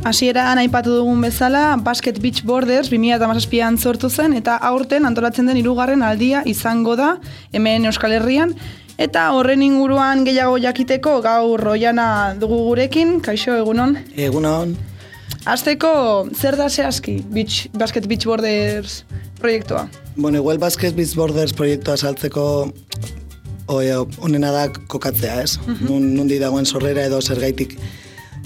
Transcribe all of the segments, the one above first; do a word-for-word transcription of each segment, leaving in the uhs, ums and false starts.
Hasieran aipatu dugun bezala, Basket Beach Borders bi mila hamazazpian sortu zen, eta aurten antolatzen den hirugarren aldia izango da hemen Euskal Herrian. Eta horren inguruan gehiago jakiteko gaur Oiana dugu gurekin. Kaixo, egunon? Egunon. Hasteko, zer da zehazki beach, Basket Beach Borders proiektua? Bueno, igual Basket Beach Borders proiektua saltzeko onena da kokatzea, ez? Uh-huh. Nun, nundi dagoen sorrera edo zergaitik.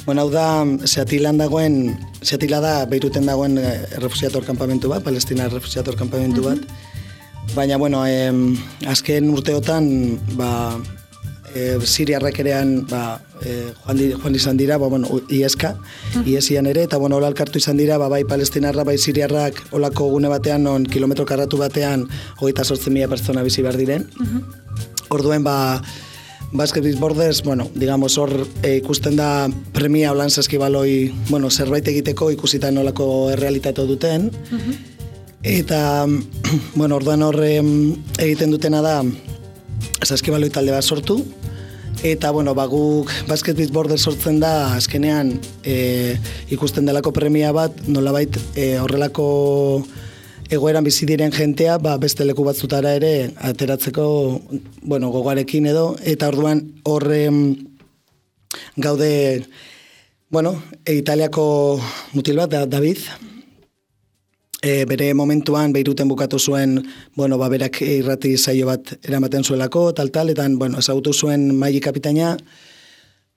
Bueno, hau da, Seatilan dagoen, Seatila da Beiruten dagoen errefusiator kanpamentu bat, Palestina errefusiator kanpamentu bat. Uh-huh. Baina, bueno, eh, azken urteotan, ba, eh, Siriarrak erean, ba, eh, joan, di, joan izan dira, ba, bueno, ieska, uh-huh. iesian ere, eta, bueno, hola elkartu izan dira, ba, bai Palestinarra, bai Siriarrak, holako gune batean, non kilometro karratu batean, hogeita sortzen mila pertsona bizi behar diren. Uh-huh. Orduen, ba, Basket Beach Borders, bueno, digamos, hor e, ikusten da premia holan saskibaloi, bueno, zerbait egiteko ikusita nolako errealitatea duten. Uh-huh. Eta, bueno, orduan hor egiten dutena da saskibaloi talde bat sortu. Eta, bueno, ba, guk Basket Beach Borders sortzen da, azkenean e, ikusten delako premia bat, nolabait e, horrelako egoeran bizi diren jentea, ba, beste leku batzutara ere ateratzeko, bueno, gogarekin edo, eta orduan horre gaude, bueno, Italiako mutil bat, David, e, bere momentuan Beiruten bukatu zuen, bueno, ba, berak irrati saio bat eramaten zuelako, tal-tal, eta, bueno, ezagutu zuen Maili kapitaina,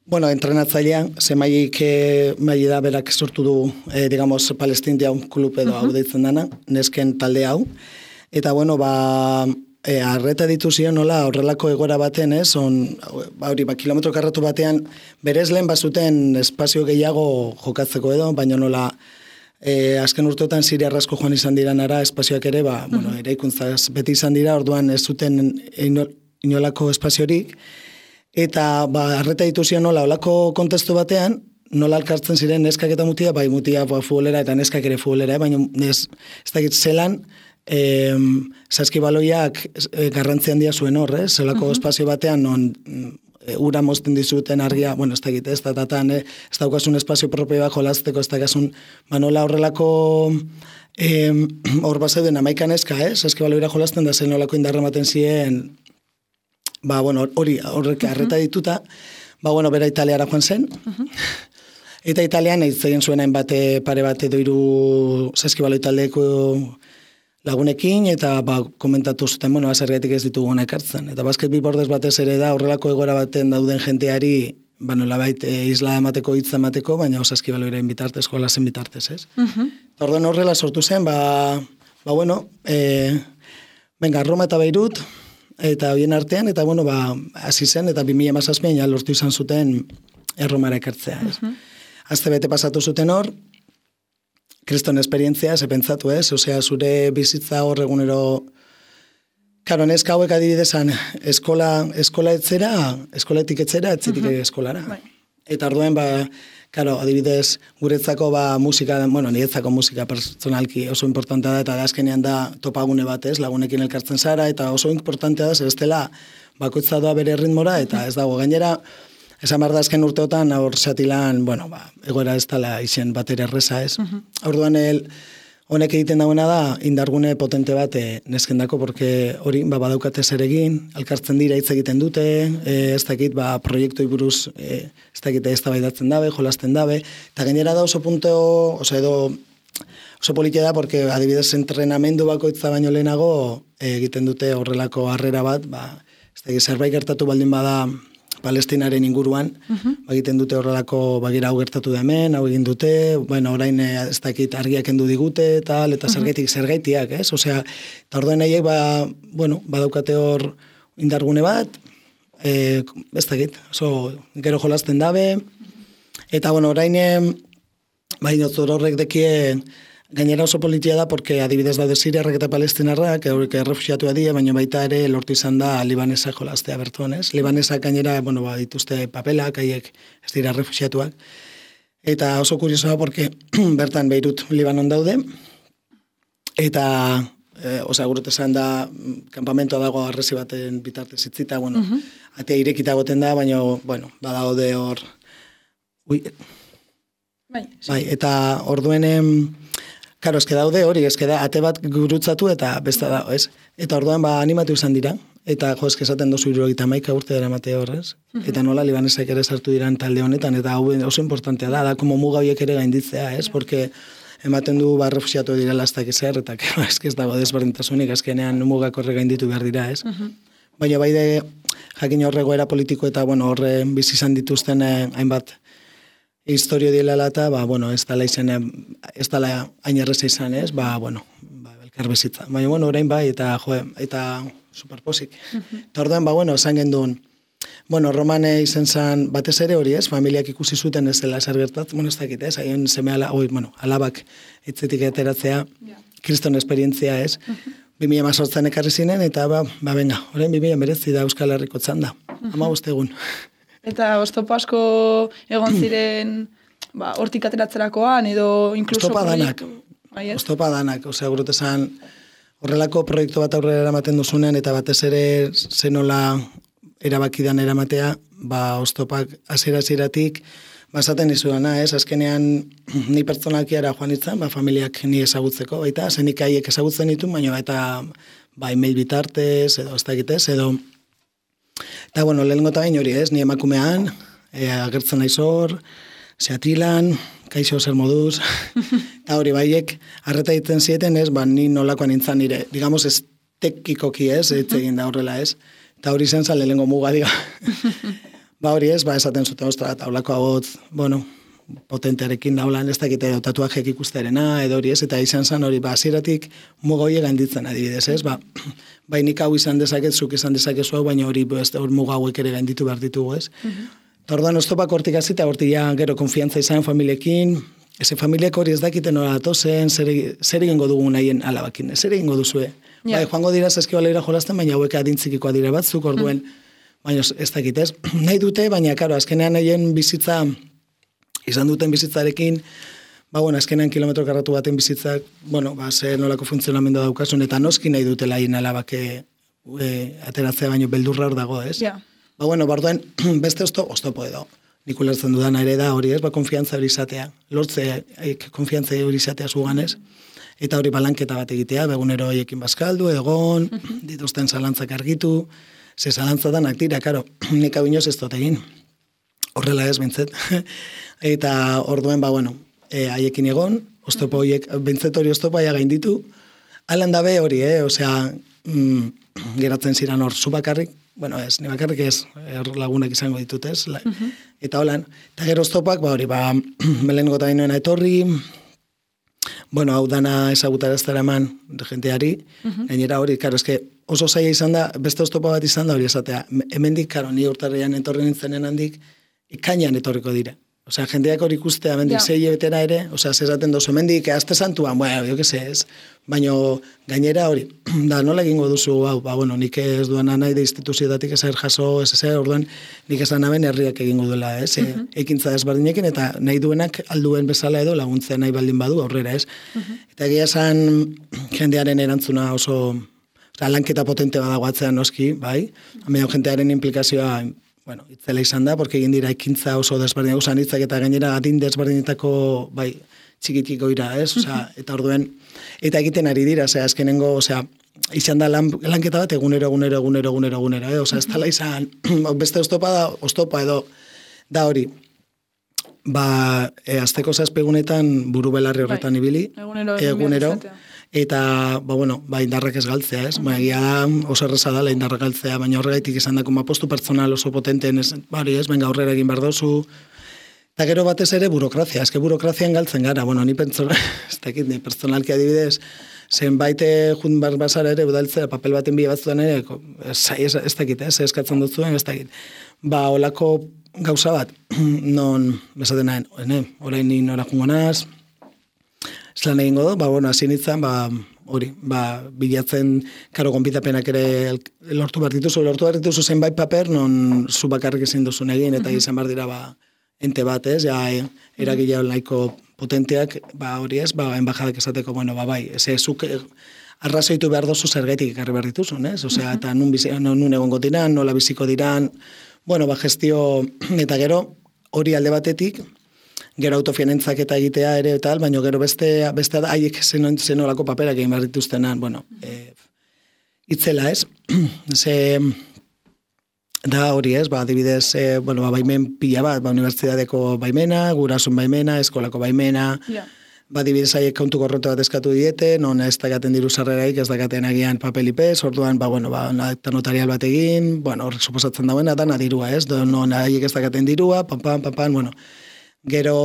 bueno, entrenatzailea, ze Mailik e, Maili da berak sortu du, e, digamos, Palestindia un klub edo uh-huh. hau deitzen dana, nesken talde hau. Eta, bueno, ba, e, arreta dituzion nola horrelako egora baten, ez, on, ba, hori, ba, kilometro karratu batean, berez lehen bazuten espazio gehiago jokatzeko edo, baina nola, e, azken urteotan Siriarrasko joan izan diranara, espazioak ere, ba, uh-huh. bueno, eraikuntzaz beti izan dira, orduan ez zuten inolako espaziorik. Eta, ba, arreta dituzion nola, olako kontestu batean, nola alkartzen ziren neskak eta mutia, bai mutia ba, futbolera eta neskak ere futbolera, baina ez, ez dakit zelan, e, saskibaloiak e, garrantzi handia zuen hor, ez? Zelako uh-huh. espazio batean, non e, ura mozten dizuten argia, bueno, ez dakit, ez datatan, e, ez daukasun espazio propio bat jolazteko, ez daukasun, ba, nola horrelako e, hor bazeuden amaikan neska, ez? Saskibaloira jolazten da zen nolako indarra ematen ziren, ba, bueno, hori, horrek arreta dituta, ba, bueno, bera Italiara joan zen, uh-huh. eta Italian egin zuen hainbat pare bat edo hiru saskibaloi taldeko lagunekin, eta, ba, komentatu zuten, bueno, zergatik ez ditugu hona ekartzen. Eta Basket Beach Borders batez ere da, horrelako egora baten dauden jenteari, ba, nolabait, e, isla emateko, hitza emateko, baina saskibaloiren bitartez, jolasen bitartez, ez? Uh-huh. Orduan horrela sortu zen, ba, ba bueno, e, venga, Roma eta Beirut, eta bien artean, eta bueno, ba, hasi zen, eta bi mila hamazazpian ja lortu izan zuten Erromara ekartzea. Uh-huh. Azte bete pasatu zuten hor, kriston esperientzia, ze pentsatu ez, osea, zure bizitza hor egunero, karo, neska hauek adibidezan, eskola, eskola etzera, eskolatik etzera, etzetik uh-huh. eskolara. Right. Eta orduen, ba, karo, adibidez, guretzako ba, musika, bueno, niretzako musika personalki oso importantea da, eta da azkenean da topagune bat, ez, lagunekin elkartzen zara, eta oso importantea da, ez dela bakoitza doa bere ritmora, eta ez dago gainera, esan behar da azken urteotan, hor Seatilan, bueno, ba, egoera ez dela izen bat ere erreza, ez. Uh-huh. Orduan, el, honek egiten dagoena da, indargune potente bat e, neskendako, porque hori, ba, badaukate zer egin, alkartzen dira hitz egiten dute, e, ez dakit, ba, proiektoi buruz, e, ez dakit, ez tabaidatzen dabe, jolasten dabe, eta gainera da oso punto, oso edo, oso politia da, porque adibidez entrenamendu bakoitza baino lehenago, e, egiten dute horrelako harrera bat, ba, ez dakit, zerbait gertatu baldin bada, Palestinaren inguruan, uh-huh. egiten dute horrelako, bagira hau gertatu da hemen, hau egin dute, bueno, orain ez dakit argiak endu digute, tal, eta uh-huh. zergaitik, zergaitiak, ez? Osea, eta orduan nahiek, ba, bueno, badaukate hor indargune bat, e, ez dakit, oso, gero jolasten dabe, eta, bueno, orain, ba, inotzor horrek dekie, gainera oso politia da, porque adibidez daude Siriarrak eta Palestinarrak, eurek errefusiatua dira, baina baita ere lortu izan da Libanesa jolaztea bertuan, ez? Libanesak gainera, bueno, ba, dituzte papelak, haiek ez dira errefusiatuak. Eta oso kuriosoa, porque bertan Beirut Libanon daude, eta, e, osea, gurut esan da, kanpamentoa dago arrezi baten bitartez itzita, bueno, uh-huh. atea irekita goten da, baina, bueno, badaude hor, ui, Bai, bai, eta orduen, karo, eske daude hori, eske da, ate bat gurutzatu eta besta da, ez? Eta orduan, ba, animatu izan dira, eta jo, eske esaten dozu hirurogeita hamaika urte dara mate horrez, eta nola libanesak ere sartu diran talde honetan, eta hau oso importantea da, da, como muga horiek ere gainditzea, ez? Porque ematen du, ba, refusiatu dira lastak ezer, eta eske ez dago desberdintasunik, azkenean mugak horre gainditu behar dira, ez? Baina bai de, jakin horrego era politiko eta, bueno, horre bizi izan dituzten eh, hainbat historio dilala eta, ba, bueno, ez dala izan, ez dala hain erreza izan, ez? Ba, bueno, ba, elkar bezitza. Baina, bueno, orain bai, eta, jo, eta superposik. Eta orduan, ba, bueno, esan genduen, bueno, Romane izen zan, batez ere hori, ez? Familiak ikusi zuten ez dela zer gertatzen, bueno, ez dakit, ez? Haien seme ala, oi, bueno, alabak etzetik ateratzea, kriston esperientzia, ez? bi mila hemezortzian ekarri zinen, eta, ba, ba, venga, orain bi mila hemeretzi da Euskal Herriko txanda. hamabost egun. Eta oztopo asko egon ziren, ba, hortik ateratzerakoan, edo inkluso... Oztopa danak, Bai, ez? oztopa danak, osea, gurutezan, horrelako proiektu bat aurrera eramaten duzunean, eta batez ere zenola erabakidan eramatea, ba, oztopak hasiera-hasieratik, basaten izuena, ez? Azkenean, ni pertsonalkiara joan itzan, ba, familiak ni ezagutzeko, baita, zenik haiek ezagutzen ditu, baina eta, ba, email bitartez, edo, ez dakitez, edo, eta, bueno, lehenengo eta bain hori, ez? Ni emakumean, e, agertzen naiz hor, zeatilan, kaixo zer moduz, eta hori baiek, arreta egiten zieten, ez, ba, ni nolakoan nintzen nire, digamos, ez tekikoki, ez, ez egin da horrela, ez, eta hori zen zan lehenengo muga, diga. Ba hori ez, ba esaten zuten, ostra, taulako agotz, bueno, potentearekin daulan, ez dakite edo tatuajek ikusterena, edo hori ez, eta izan zen hori, ba, hasieratik muga hori gainditzen adibidez, ez, ba, bai nik hau izan dezaket, zuk izan dezakezu hau, baina hori, ez, hor muga hauek ere gainditu behar ditugu, ez. Eta orduan, oztopak hortik azita, hortik ja, gero konfiantza izan familiekin, eze familiak hori ez dakiten hori atozen, zer, zer egingo dugu nahien alabakin, zer egingo duzue. Yeah. Bai, joango dira zazkibaleira jolasten, baina hauek adintzikikoa dira batzuk, orduen, baina ez dakit ez. Nahi dute, baina, karo, azkenean nahien bizitza, izan duten bizitzarekin, ba, bueno, azkenean kilometro karratu baten bizitzak, bueno, ba, ze nolako funtzionamendu daukasun, eta noski nahi dutela hien alabake e, ateratzea baino beldurra hor dago, ez? Yeah. Ba, bueno, bardoen, beste ozto, oztopo edo. Nik ulertzen dudana ere da hori ez, ba, konfiantza hori izatea. Lortze, konfiantza hori izatea zuganez. Eta hori balanketa bat egitea, begunero hoiekin bazkaldu, egon, dituzten zalantzak argitu, ze zalantza danak dira, karo, nik hau inoz ez dut egin. Horrela ez, bintzet. Eta orduen, ba, bueno, e, haiekin egon, oztopo horiek, bintzet hori oztopo aia gainditu, alan dabe hori, eh, osea, mm, geratzen ziran hor, zu bakarrik, bueno, ez, ni bakarrik ez, er lagunak izango ditut, ez, la, uh-huh. Eta holan, eta gero oztopak, ba hori, ba, melen gota inoena etorri, bueno, hau dana ezagutaraztara eman jenteari, uh-huh. Gainera hori, karo, eske oso zaila izan da, beste oztopa bat izan da hori esatea, hemendik, karo, ni urtarrian etorri nintzenen handik, ikainan etorriko dira. Osea, jendeak hori ikustea, hemendik yeah. Zei betera ere, osea, zezaten dozu, hemendik, azte santuan, bueno, jo que se ez, baino gainera hori, da, nola egingo duzu, hau, ba, bueno, nik ez duana nahi de instituzioetatik ezer jaso, ez ezer, orduan, nik esan naben herriak egingo duela, ez, uh -huh. Ekintza desberdinekin, eta nahi duenak alduen bezala edo laguntzea nahi baldin badu aurrera, ez. Uh -huh. Eta egia esan jendearen erantzuna oso, osea, lanketa potente badago atzean noski, bai, baina jendearen implikazioa, bueno, itzela izan da, porque egin dira ekintza oso desberdinak usan hitzak eta gainera adin desberdinetako, bai, txikitiko ira, ez? Osea, eta orduen, eta egiten ari dira, osea, azkenengo, osea, izan da lan, lanketa bat egunero, egunero, egunero, egunero, egunero, eh? Osea, ez tala izan, beste oztopa da, oztopa edo, da hori, ba, e, azteko zazpegunetan buru belarri horretan bai. Ibili, egunero, egunero eta, ba, bueno, ba, indarrak ez galtzea, ez? Uh -huh. Ba, egia oso erreza dela indarrak galtzea, baina horregaitik izan dako, ma postu pertsonal oso potenteen, ez, bari, ez, benga aurrera egin behar dozu, eta gero batez ere burokrazia, eske burokrazian galtzen gara, bueno, ni pertsonal, ez dakit, ni pertsonalki adibidez, zenbaite jun bar bazara ere, udaltzea, papel baten bi batzutan ere, ez, ez, ez dakit, ez, eskatzen dut zuen, ez dakit, ba, olako gauza bat, non, bezaten nahen, orain ni nora jungo naz, zelan egingo do, ba, bueno, hasi nintzen, ba, hori, ba, bilatzen, karo, gonbidapenak ere lortu behar dituzu, lortu behar dituzu zenbait paper, non zu bakarrik ezin duzun egin, eta izan behar dira, ba, ente bat, ez, ja, eragilea nahiko potenteak, ba, hori ez, ba, enbajadak esateko, bueno, ba, bai, ez ezuk arrazoitu behar dozu zergaitik ekarri behar dituzun, ez, osea, eta nun, bizi, nun egongo diran, nola biziko diran, bueno, ba, gestio, eta gero, hori alde batetik, gero autofinantzak eta egitea ere eta baina gero beste, beste da, haiek zenolako paperak egin behar dituztenan, bueno, e, itzela ez, ze, da hori ez, ba, adibidez, e, bueno, ba, baimen pila bat, ba, unibertsitateko baimena, gurasun baimena, eskolako baimena, yeah. Ba, adibidez, haiek kontu korrote bat eskatu diete, non ez dakaten diru sarreraik, ez dakaten agian papelipez, orduan, ba, bueno, ba, eta notarial bat egin, bueno, horrek suposatzen dagoena, dana dirua, ez, non haiek ez dakaten dirua, pam, pam, pam, pam, bueno, gero,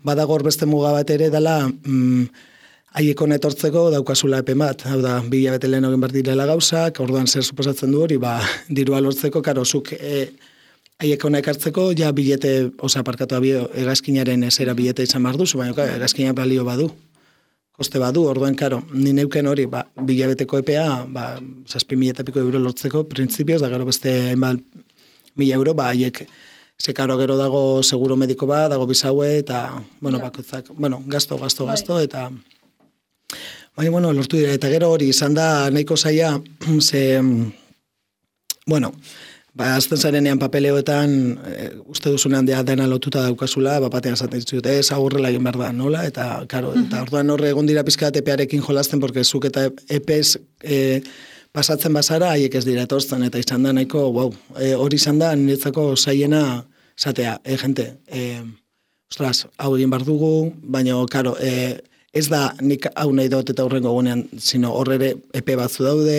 badagor beste muga bat ere, dela, mm, haiek hona etortzeko daukazula epen bat, hau da, bi hilabete lehen egin behar direla gauzak, orduan zer suposatzen du hori, ba, dirua lortzeko, karo, zuk, e, haiek hona ekartzeko, ja bilete, oza, parkatu abio, egazkinaren esera bilete izan behar duzu, baina egazkina balio badu, koste badu, orduan, karo, ni neuken hori, ba, bilabeteko epea, ba, zazpi mila eta piko euro lortzeko, printzipioz, da gero beste, hainbat, mila euro, ba, haiek, ze karo gero dago seguro mediko bat, dago bizaue, eta, bueno, bakoitzak, bueno, gasto, gasto, gasto, eta, baina, bueno, lortu dira, eta gero hori, izan da, nahiko zaila, ze, bueno, ba, azten zarenean papeleoetan, e, uste duzunean dena lotuta daukazula, bapatean esaten ditut, ez aurrela egin behar da, nola? Eta, karo, uh-huh. eta orduan horre egon dira pizkat epearekin jolasten, porque zuk eta epez e, pasatzen bazara, haiek ez dira etortzen, eta izan da nahiko, wow, e, hori izan da, niretzako zaiena, zatea, e, gente, e, ostras, hau egin behar dugu, baina, karo, e, ez da nik hau nahi dut eta horrengo gunean, sino horrere epe batzu daude,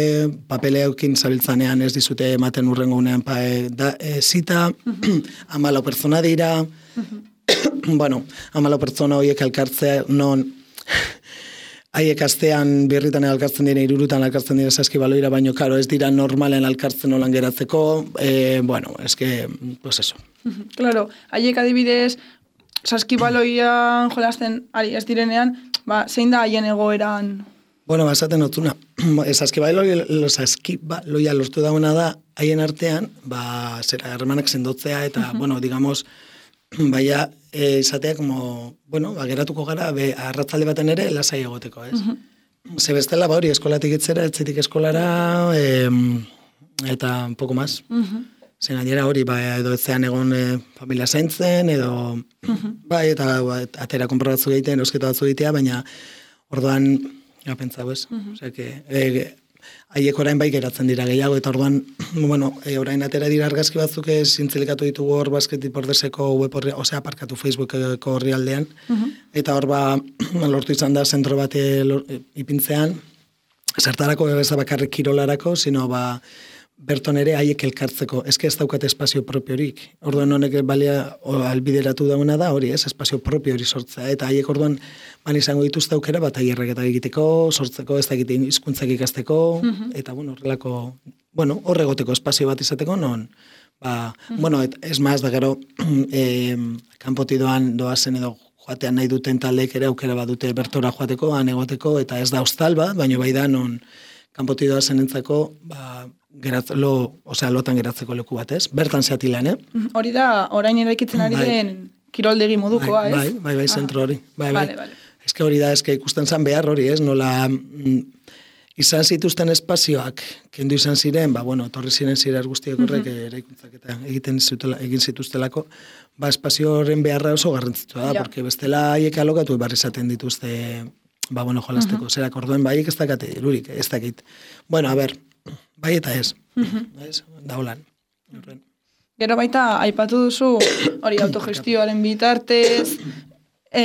papeleokin zabiltzanean ez dizute ematen urrengo gunean pa, e, da, e, zita, uh-huh. amalo pertsona dira, uh-huh. bueno, amalo pertsona horiek elkartzea, non haiek astean birritan elkartzen dira, irurutan elkartzen dira saskibaloira, baino karo ez dira normalen elkartzen holan geratzeko, e, bueno, ez que, pues eso. Uh-huh. Claro, haiek adibidez, saskibaloian jolasten ari ez direnean, ba, zein da haien egoeran? Bueno, ba, esaten notuna. Saskibaloia lortu dauna da, haien artean, ba, zera, hermanak sendotzea, eta, uh-huh. bueno, digamos, baina, e, izatea, como, bueno, ba, geratuko gara, be, arratzalde baten ere, lasai egoteko, ez? Uh-huh. Ze bestela, ba, hori, eskolatik itzera, etzitik eskolara, e, eta poco más. Uh-huh. Zen gainera hori, ba, edo etzean egon e, familia zaintzen, edo, uh-huh. bai, eta ba, atera konprobatzu egiten, eusketa batzu egitea, baina orduan, ja, pentsau ez, uh-huh. Osea, que, e, haiek orain bai geratzen dira gehiago, eta orduan, bueno, e, orain atera dira argazki batzuk ez, zintzilikatu ditugu hor Basketi Bordeseko web horri, osea, aparkatu Facebookeko horri aldean, uh-huh. eta hor ba, lortu izan da zentro bat ipintzean, zertarako ez da bakarrik kirolarako, sino ba, berton ere haiek elkartzeko, eske ez daukate espazio propiorik. Orduan honek balia albideratu dauna da, hori ez, espazio propio hori sortzea. Eta haiek orduan ban izango dituzte aukera bat aierrek eta egiteko, sortzeko, ez dakite hizkuntzak ikasteko, uh-huh. eta bueno, horrelako, bueno, horregoteko espazio bat izateko, non, ba, uh-huh. bueno, et, ez maz da gero, eh, kanpoti doan doazen edo joatean nahi duten taldeek ere aukera bat dute bertora joateko, han egoteko, eta ez da hostal bat, baina bai da non kanpoti doazen entzako, ba, Geratz, lo, osea, lotan geratzeko leku bat, ez? Bertan zeatilean, eh? Hori da, orain eraikitzen ari bai. den kiroldegi modukoa, bai, ez? Bai, bai, bai, zentro hori. Bai, bai. Vale, vale. Ez que hori da, ez que ikusten zan behar hori, ez? Nola, mm, izan zituzten espazioak, kendu izan ziren, ba, bueno, torri ziren ziren guztiak horrek, uh-huh. eraikuntzak eta egiten zutela, egin zituztelako, ba, espazio horren beharra oso garrantzitsua da, ja. Porque bestela haiek alokatu barri izaten dituzte, ba, bueno, jolasteko, uh-huh. zerak orduen, ba, haiek ez dakate, lurik, ez dakit. Bueno, a ber, bai eta ez, uh-huh. ez, da holan. Gero baita, aipatu duzu, hori autogestioaren bitartez, e,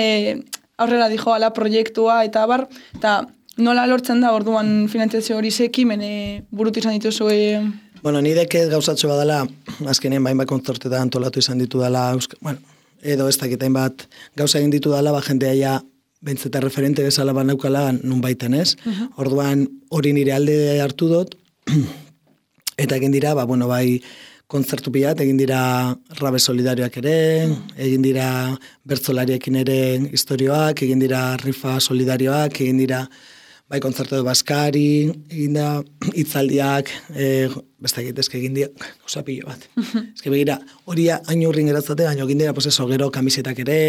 aurrera dijo ala proiektua, eta bar, eta nola lortzen da orduan finantzazio hori zekimen e, burutu izan dituzu? E... Bueno, nidek gauzatxo badala, azkenean bain bat kontzortetan antolatu izan ditu dela, bueno, edo ez dakitain bat gauza egin ditu dela, ba, jendea ja, bentzeta referente bezala banaukala nun baiten, ez? Uh-huh. Orduan hori nire alde hartu dut, eta egin dira, ba, bueno, bai, kontzertu pilat, egin dira rabe solidarioak ere, egin dira bertzolariekin ere historioak, egin dira rifa solidarioak, egin dira, bai, kontzertu edo baskari, egin da hitzaldiak, e, beste egitezke egin dira, gauza pilo bat. Ez que begira, hori hain urrin geratzate, hain egin dira, pues eso, gero kamisetak ere,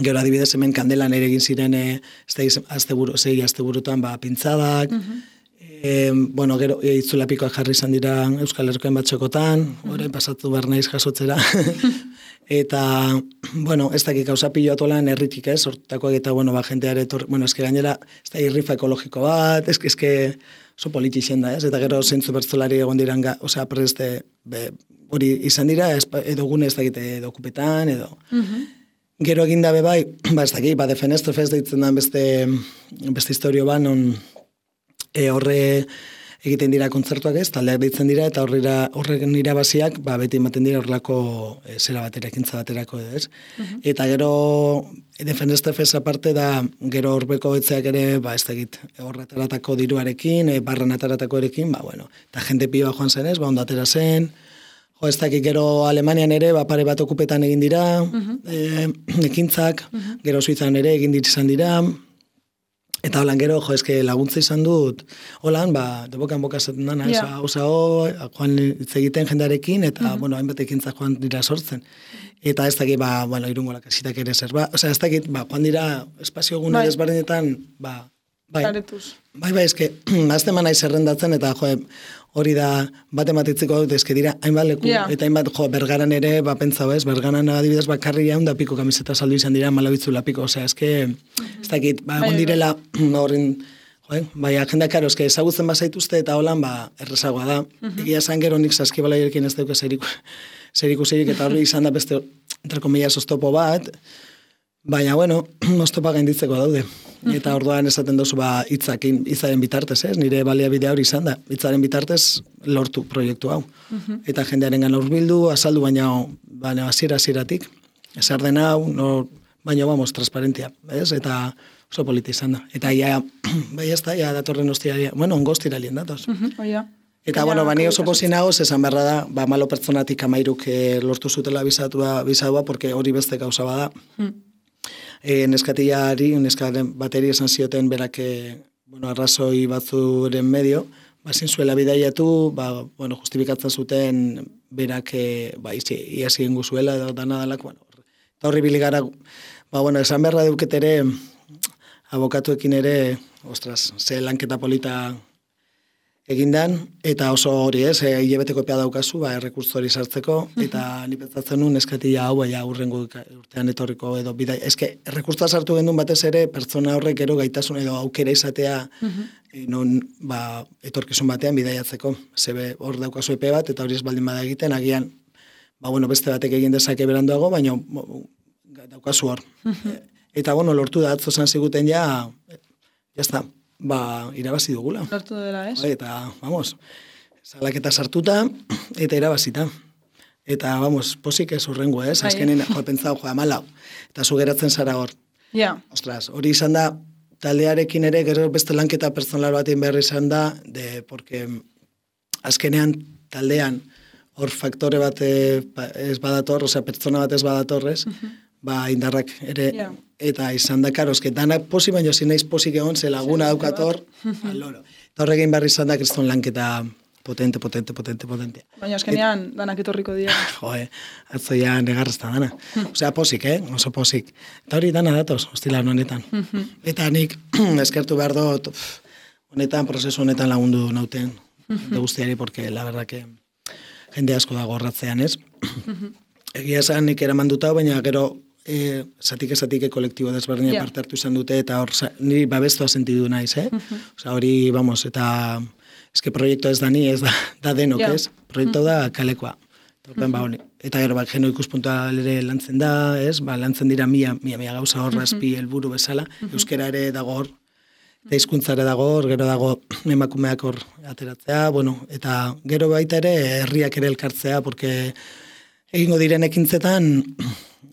gero adibidez hemen kandelan ere egin ziren, ez da, azte buru, zei azte burutan, ba, pintzadak, uh-huh. E, bueno, gero, itzulapikoak jarri izan dira Euskal Herrikoen batxokotan, orain pasatu behar naiz jasotzera. Eta, bueno, ez dakik gauza pilo atolan erritik ez, hortakoak eta, bueno, ba, jenteare, bueno, eske gainera, ez da irrifa ekologiko bat, eske, eske, oso politixen da, ez? Eta gero zentzu bertzolari egon diran, osea, preste, be, hori izan dira, edo gune ez dakite, edo okupetan, edo... Uh-huh. Gero egin dabe bai, ba, ez dakit, ba, Defenestro Fest deitzen da beste, beste historio ba, non e, horre egiten dira kontzertuak ez, taldeak deitzen dira, eta horrera, horregen irabaziak, ba, beti ematen dira horrelako e, zera batera, ekintza baterako edo ez. Uh-huh. Eta gero Defenestro Fest aparte da, gero horbeko etzeak ere, ba, ez dakit, horretaratako diruarekin, e, barran ataratako erekin, ba, bueno, eta jende pioa joan zen ez, ba, ondatera zen, jo, ez dakit, gero Alemanian ere, ba, pare bat okupetan egin dira, uh-huh. e, ekintzak, uh-huh. gero Suizan ere egin ditzan dira, eta holan gero, jo, eske laguntza izan dut, holan, ba, debokan boka zaten dana, yeah. oza, oza, joan hitz egiten jendarekin, eta, uh-huh. bueno, hainbat ekintzak joan dira sortzen. Eta ez dakit, ba, bueno, Irungo lakasitak ere zer, ba, oza, ez dakit, ba, joan dira espazio gune bai. Desberdinetan, ba, bai, Zaretuz. bai, bai, eske, azte manai zerrendatzen, eta, jo, hori da, bat ematitziko dut, eske dira, hainbat leku, yeah. eta hainbat, jo, Bergaran ere, ba, pentsau ez, Bergaran adibidez, bakarri jaun da piko kamiseta saldu izan dira, malabitzula piko, osea, eske, ez dakit, ba, egon direla, horren, jo, bai, agenda karo, eske, ezagutzen bazaituzte, eta holan, ba, errezagoa da, uh-huh. egia esan gero nik saskibalaierekin ez dauke zeriku, zeriku zerik, eta hori izan da beste, entre comillas, oztopo bat, baina, bueno, oztopa gainditzeko daude. Eta orduan esaten dozu ba hitzakin, hitzaren bitartez, ez? Nire baliabide hori izan da. Hitzaren bitartez lortu proiektu hau. Uh-huh. Eta jendearengan hurbildu, azaldu baina baina hasiera-hasieratik. Ezer den hau, no, baina vamos, transparentia, ez? Eta oso politi izan da. Eta ja, bai ez da, ja datorren ostiaria, bueno, ongostira lien datoz. Uh-huh, oh, yeah. Eta, bueno, bani oso posin nagoz, esan beharra da, ba, malo pertsonatik amairuk eh, lortu zutela bizatua, bizatua, porque hori beste gauza bada. Uh-huh. E, neskatiari, neskaren bateri esan zioten berak, bueno, arrazoi batzuren medio, ba, zinzuela bidaiatu, ba, bueno, justifikatzen zuten berak, ba, izi, iasi guzuela, edo dana dalak, bueno, eta horri biligara, ba, bueno, esan beharra duket ere, abokatuekin ere, ostras, ze lanketa polita egindan, eta oso hori ez, e, hilabeteko epea daukazu, ba, errekurtzo hori sartzeko, eta ni pentsatzen nuen eskatia hau, baina urrengo urtean etorriko edo bidai. Eske, errekurtzoa sartu gendun batez ere, pertsona horrek gero gaitasun edo aukera izatea, uh-huh. e, non, ba, etorkizun batean bidaiatzeko. Zebe, hor daukazu epe bat, eta hori ez baldin bada egiten, agian, ba, bueno, beste batek egin dezake beranduago, baina daukazu hor. Uh-huh. Eta, bueno, lortu da, atzo zan ziguten ja, jazta, ba, irabazi dugula. Lortu dela, ez? Eta, vamos, salaketa sartuta, eta irabazita. Eta, vamos, posik ez horrengo, ez? Azkenen, joa, pentsau, joa, malau. Eta zu geratzen zara hor. Ja. Yeah. Ostras, hori izan da, taldearekin ere, gero beste lanketa personal batean behar izan da, de, porque azkenean taldean, hor faktore bat ez badator, osea, pertsona bat ez badatorrez, uh-huh. ba, indarrak ere, yeah. eta izan da, karo, eske, danak posi, baina zin naiz posik egon, ze laguna daukator, aloro. Eta horrekin barri izan da, kriston lanketa potente, potente, potente, potente. Baina azkenean, Et, danak etorriko dira. Joe, atzo ja negarrezta dana. Osea, posik, eh? Oso posik. Eta hori dana datoz, hostilan honetan. Eta nik, eskertu behar dut, honetan, prozesu honetan lagundu nauten, de guztiari, porque la verdad que jende asko dago horratzean, ez? Egia esan nik eraman dutau, baina gero e, zatike zatike kolektibo desberdina yeah. parte hartu izan dute, eta hor niri babestua sentidu naiz, eh? Uh-huh. Osa, hori, vamos, eta eske proiektu ez da ni, ez da, da denok, yeah. ez? Proiektu da kalekoa. Uh-huh. Ba, eta gero, ba, geno ikuspuntua ere lantzen da, ez? Ba, lantzen dira mia, mia, mia gauza hor, razpi, uh-huh. helburu bezala, uh-huh. euskera ere dago hor, eta hizkuntzare dago hor, gero dago emakumeak hor ateratzea, bueno, eta gero baita ere herriak ere elkartzea, porque egingo diren ekintzetan,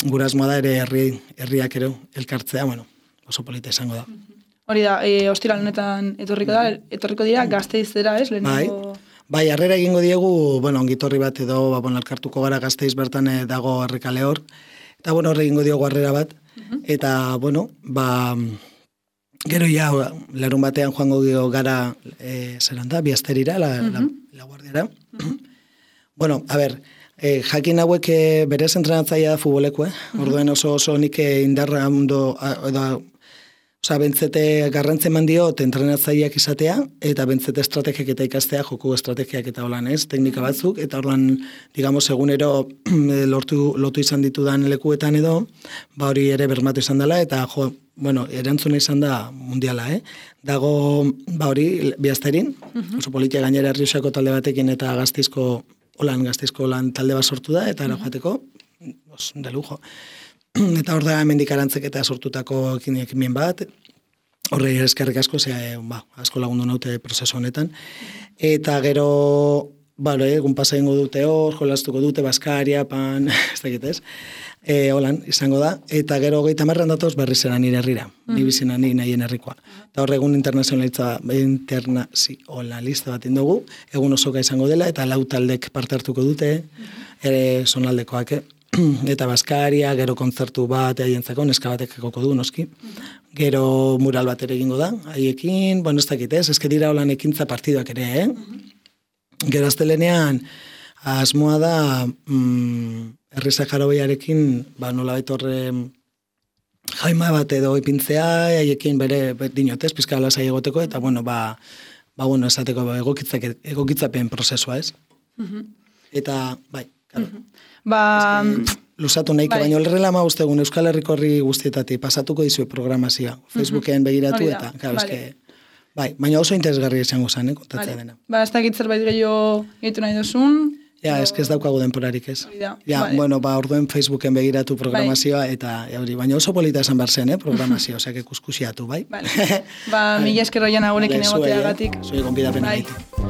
gura asmoa da ere herri, herriak ere elkartzea, bueno, oso polita izango da. Hori da, e, ostiral honetan etorriko da, etorriko dira Gasteizera, ez? Lehenengo... Bai, bai, harrera egingo diegu, bueno, ongitorri bat edo, ba, bueno, elkartuko gara Gasteiz bertan dago errekale hor, eta, bueno, horre egingo diogu harrera bat, uh-huh. eta, bueno, ba, gero ja, larun batean joango gara, e, zeran da, Biasterira, la, uh-huh. la, la guardiara. Uh-huh. Bueno, a ber, E, jakin hauek e, berez entrenatzaia da futboleko, eh? Uh-huh. Orduen oso oso nik indarra ondo, edo, Osa, bentzete garrantzen mandiot entrenatzaileak izatea, eta bentzete estrategiak eta ikastea, joku estrategiak eta holan ez, teknika batzuk, eta holan, digamos, egunero lortu, lotu izan ditudan lekuetan edo, ba hori ere bermatu izan dela, eta jo, bueno, erantzuna izan da mundiala, eh? Dago, ba hori, bihazterin, uh-huh. oso politia gainera Errioxako talde batekin eta Gazteizko, holan, Gazteizko holan talde bat sortu da, eta uh-huh. joateko, os, de lujo. Eta hor da hemendik arantzek eta sortutako ekimen bat, horre eskerrik asko, zea, ba, asko lagundu naute prozesu honetan. Eta gero, ba, egun pasa ingo dute hor, jolastuko dute, Baskaria, pan, ez dakit ez, e, holan, izango da. Eta gero geita marran datoz berri zera nire herrira, mm. ni bizina ni nahien herrikoa. Eta hor egun internazionalista, internazionalista bat indogu, egun osoka izango dela, eta lau taldek parte hartuko dute, ere zonaldekoak, eta Baskaria, gero kontzertu bat haientzako, neska batek ekoko du, noski. Gero mural bat ere egingo da, haiekin, bueno, ez dakit ez, ezke dira holan ekintza partiduak ere, eh? Gero astelenean, asmoa da, mm, Herri Saharoiarekin, ba, nola horre jaima bat edo ipintzea, haiekin bere, dinotez, pizka lasai egoteko, eta, bueno, ba, ba, bueno, esateko egokitzapen prozesua, ez? Eta, bai, claro. Ba... Lusatu nahiko, bai. Baina horrela ma uste egun Euskal Herriko herri guztietatik pasatuko dizue programazioa. Facebooken begiratu eta, claro, vale. Eske, bai, baina oso interesgarri izango zen, eh, kontatzea vale. Dena. Ba, ez dakit zerbait gehiago gehitu nahi duzun. Ja, o... eske ez daukagu denporarik ez. Ja, vale. Bueno, ba, orduen Facebooken begiratu programazioa bai. Eta, hori, baina oso polita esan bar zen, eh, programazioa, osea, que kuskusiatu, bai? Vale. Ba, mila esker roian agurekin vale, egoteagatik. Zuei, eh? Zuei gonbidapena bai.